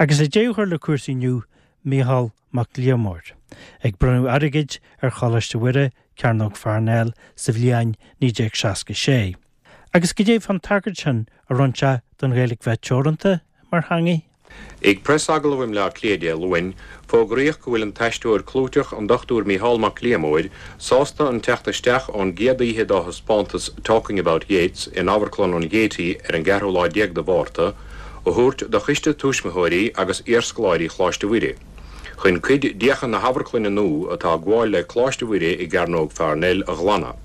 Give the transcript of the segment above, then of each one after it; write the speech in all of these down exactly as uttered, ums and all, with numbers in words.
Agus le deireadh a chur le cúrsaí inniu Mícheál Mac Liammóir, ag bronnadh airgid ar Choláiste Mhuire Cearnóg Pharnell sa bhliain naoi déag seasca sé. Agus cad é fán tagairt sin a rinne sé don Ghaeilge bheith teoranta mar theanga. Ag preasagallamh i mBleá Cliath Dé Luain, fógraíodh go bhfuil an t-aisteoir clúiteach an Dr Mícheál Mac Liammóir sásta an teacht isteach ón gcéad oíche dá thaispeántas Talking About Yeats in Amharclann an Gaiety ar an gceathrú lá déag de Mhárta, a thabhairt do choiste tuismitheoirí agus iarscoláirí Choláiste Mhuire. Chun cuid d'fhiacha na hamharclainne nua atá ag gabháil le Coláiste Mhuire i gCearnóg Pharnell a ghlanadh.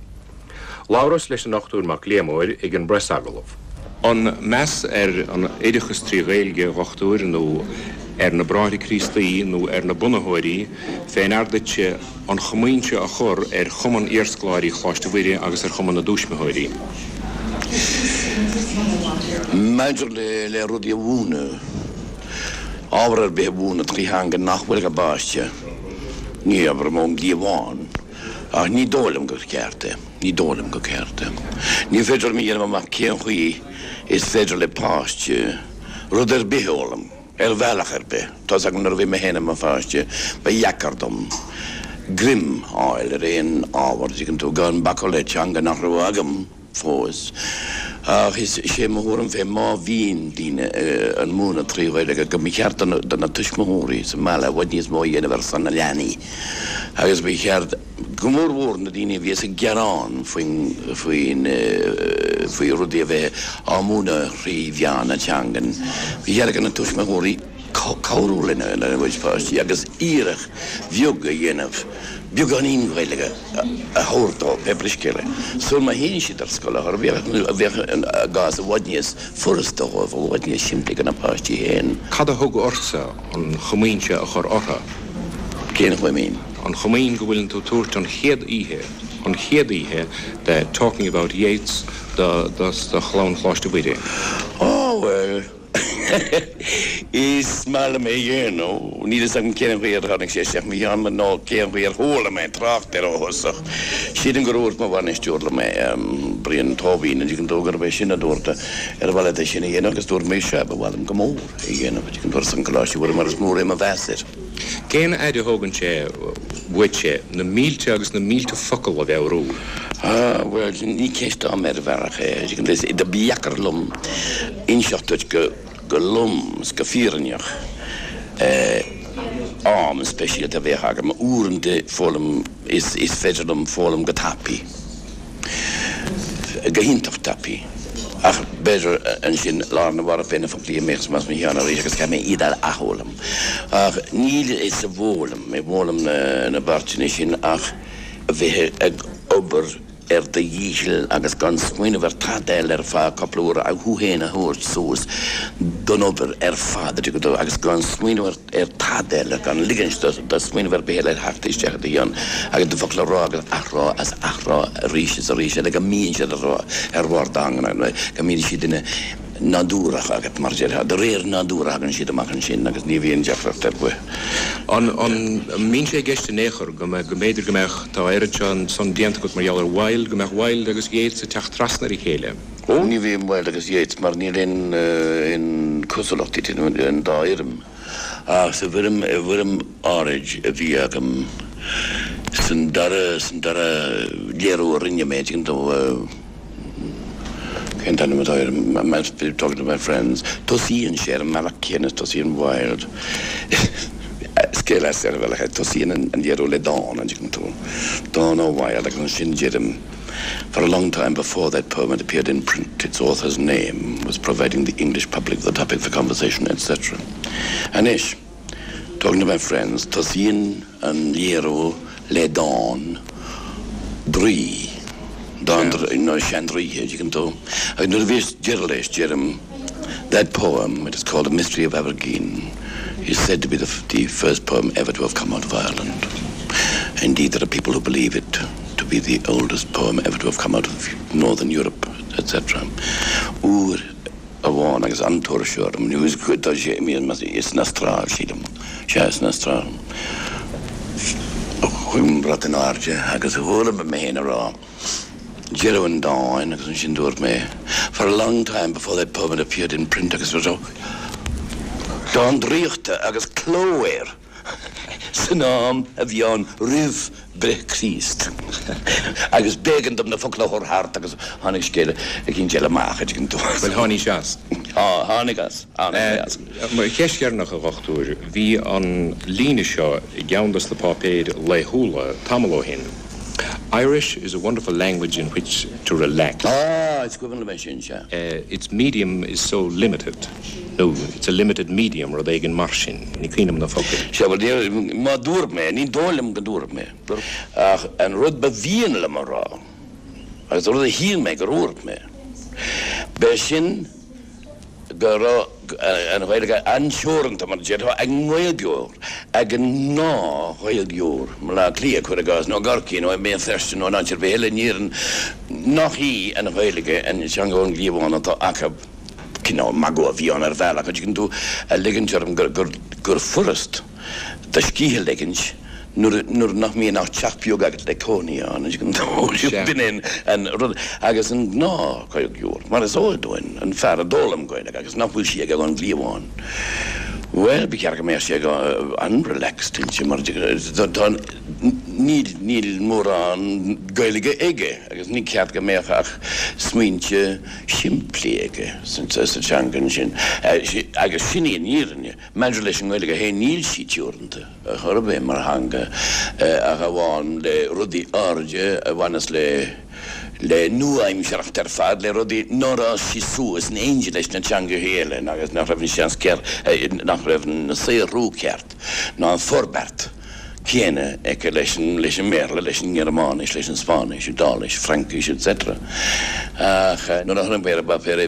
Labhras leis an Dr Mac Liammóir ag an bpreasagallamh. An meas ar an oideachas trí Ghaeilge a dhochtúir nó ar na Bráithre Críostaí nó ar na bunaitheoirí fé ndear duit an chomaoin seo a chur ar Chumann Iarscoláirí Choláiste Mhuire agus ar Chumann na dTuismitheoirí. Maidir le le rudaí a mhúineadh, ábhar ar bith a mhúineadh trí theanga nach bhfuil ag an bpáiste, ní abraim ón gcliabhán, ach ní dóigh liom gur ceart é, ní dóigh liom gur ceart é. Ní féidir liom a dhéanamh amach cén chaoi is féidir le páiste rud ar bith a fhoghlaim, ar bhealach ar bith. Tá's agam nuair a bhí mé féin i mo pháiste, ba dheacair dom greim a fháil ar aon ábhar, tuigeann tú, gan bacadh le teanga nach raibh agam fós. Ach is é mo thuairim féin má bhíonn daoine ag múineadh trí Ghaeilge go mba cheart do na tuismitheoirí sa mbaile i bhfad níos mó a dhéanamh ar son na leanaí agus ba cheart go mór mhór na daoine a bhíos ag gearán faoin faoin faoi rudaí a bheith á múineadh trí mheán na teangan. Ba cheart do na tuismitheoirí cabhrú lena lena gcuid páistí agus iarracht bheag a dhéanamh beagáinín Gaeilge a thabhairt dóibh, pé scéal é. Sul má théann siad ar scoil a bheadh bheadh an gás i bhfad níos furasta dóibh, i bhfad níos simplí do na páistí féin. Cad a thug ortsa an chomaoin seo a chur orthu? Cén chomaoin? An chomaoin go bhfuileann tú tabhairt an chéad oíche, an chéad oíche de Talking About Yeats do do do chlann Choláiste Mhuire. Oh well Is maith liom é a dhéanamh, níl fhios agam cén chaoi ar tháinig sé isteach mo cheann nó cén chaoi ar chuala mé trácht air ó thosach. Sílim gur dhúirt mo bhainisteoir liom é, Brian Tóibín, an dtuigeann tú gurb é sin a dúirt ar mhaith leat é sin a dhéanamh agus dúirt mé sea, ba mhaith liom go mór é a dhéanamh, an dtuigeann tú ar son Coláiste Mhuire mar is mór é mo mheas air. Cén fhaid a thógann sé uait na mílte agus na mílte focal a mheabhrú? Ah, well, ní ceist ama ar bhealach é, is ba dheacair liom inseacht duit go go lom is go fírinneach am speisialta a bheadh agam uaireanta foghlaim is is féidir liom foghlaim go tapaidh, go hiontach tapaidh. Ach b'fhéidir ansin lá arna mhárach beidh na foclaí imithe as mo cheann arís agus caithfidh mé iad a athfhoghlaim. Ach níl sa bhfoghlaim, i bhfoghlaim na na bpáirteanna sin ach a bheith ag obair ar do dhícheall agus gan smaoineamh ar tada eile ar feadh cúpla uair ach thú féin a thabhairt suas don obair ar fad agus gan smaoineamh ar ar tada eile, gan ligint do smaoineamh ar bith eile theacht isteach i do cheann agus do fhocla a rá agus athrá as athrá arís is arís eile go mbíonn siad ar ar bharr do theanga, go mbíonn siad ina nádúrach agat mar déarfá, de réir nádúr a thagann siad amach ansin agus ní bhíonn deacracht ar bith. An an mbíonn sé i gceist in aon chor go mbeadh go mb'fhéidir go mbeadh tá oiread seo san déanta agat mar gheall ar Wilde, go mbeadh Wilde agus Yeats ag teacht trasna ar a chéile? Ó ní bhíonn Wilde agus Yeats mar níl aon aon cosúlacht idir an dá fhoirm. Ach sa bhfoirm i bhfoirm áirid a bhí agam san dara san dara léiriú a rinne mé, tuigeann tú, cén t-ainm atá air, Talking to my friends, tosaíonn sé ar an mbealach céanna is tosaíonn Wilde. Scéal as ar bhealach é, tosaíonn an léiriú le dán, an dtuigeann tú, dán ó Wilde agus ansin deirim, For a long time before that poem had appeared in print, its author's name was providing the English public the topic for conversation, etc. Anois, Talking to my friends, tosaíonn an léiriú le dán draoi, dán nó seandraoithe, tuigeann tú. Agus nuair a bhíos deireadh leis, deirim, that poem, it is called The Mystery of Amergin, is said to be the, the first poem ever to have come out of Ireland. Indeed, there are people who believe it to be the oldest poem ever to have come out of Northern Europe, etc. Uair amháin agus an-tuirse orm, nó tá sé is san Astráil sílim, sea san Astráil. Chuaigh an brat in airde agus chuala mé féin ag rá deireadh an dáin agus ansin dúirt mé, for a long time before that poem had appeared in print agus so Dán draíochta agus cló air san am a bhí ann roimh breith Chríost. Agus b'éigean dom na focla a chur thart agus tháinig scéal eicínt eile amach an dtuigeann tú. Bhuel tháinig as. Tháinig as as. Ceist dheireanach a dhochtúir, bhí an líne seo i gceann de na páipéir laethúla tamall ó shin. Irish is a wonderful language in which to relax. Ah, is cuimhin liom sin sea. Uh, its medium is so limited. No, it's a limited medium rud éigin mar sin, ní cuimhin liom na focail. Sea má dúirt mé, ní dóigh liom go dúirt mé. Ach an rud ba mhian liom a rá, agus rud a shíl mé gur dhúirt mé. B'é sin go raibh an Ghaeilge an-teoranta mar déarfá ag an nGaeilgeoir, ag an ngnáth-Ghaeilgeoir, i mBaile Átha Cliath cuir i gcás nó i gCorcaigh nó i mBéal Feirste nó in áit ar bith eile in Éirinn nach í an Ghaeilge an teanga ón gcliabhán atá acu. Cineál magadh a bhí ann ar bhealach, an dtuigeann tú, a ligint orm gur gur gur furast do scíth a ligint nuair nuair nach mbíonn ach teach beag agat le cónaí ann, an dtuigeann tú. B'in é an rud. Agus an gnáth-Ghaeilgeoir, mar is eol dúinn, an fear a d'fhoghlaim Gaeilge agus nach bhfuil sí aige ón gcliabhán, bhuel, ba cheart go mbeadh sé an-relaxed inti mar tá níl níl mórán Gaeilge aige agus ní ceart go mbeadh ach smaointe simplí aige sa teanga sin. Agus sin í an fhírinne. Maidir leis an nGaeilge féin, níl sí teoranta ar chor ar bith mar theanga ach amháin le rudaí áirithe a bhaineas le le nua-aimsearthacht ar fad, le rudaí nár fhás sí suas in éindí leis na teangacha eile agus nach raibh an seans ceart, nach raibh an saothrú ceart ná an forbairt céanna aici leis an leis an mBéarla, leis an nGearmáinis, leis an Spáinnis, Iodáilis, Fraincis, etc. Ach nuair a chonaic mé ar an bpáipéar é,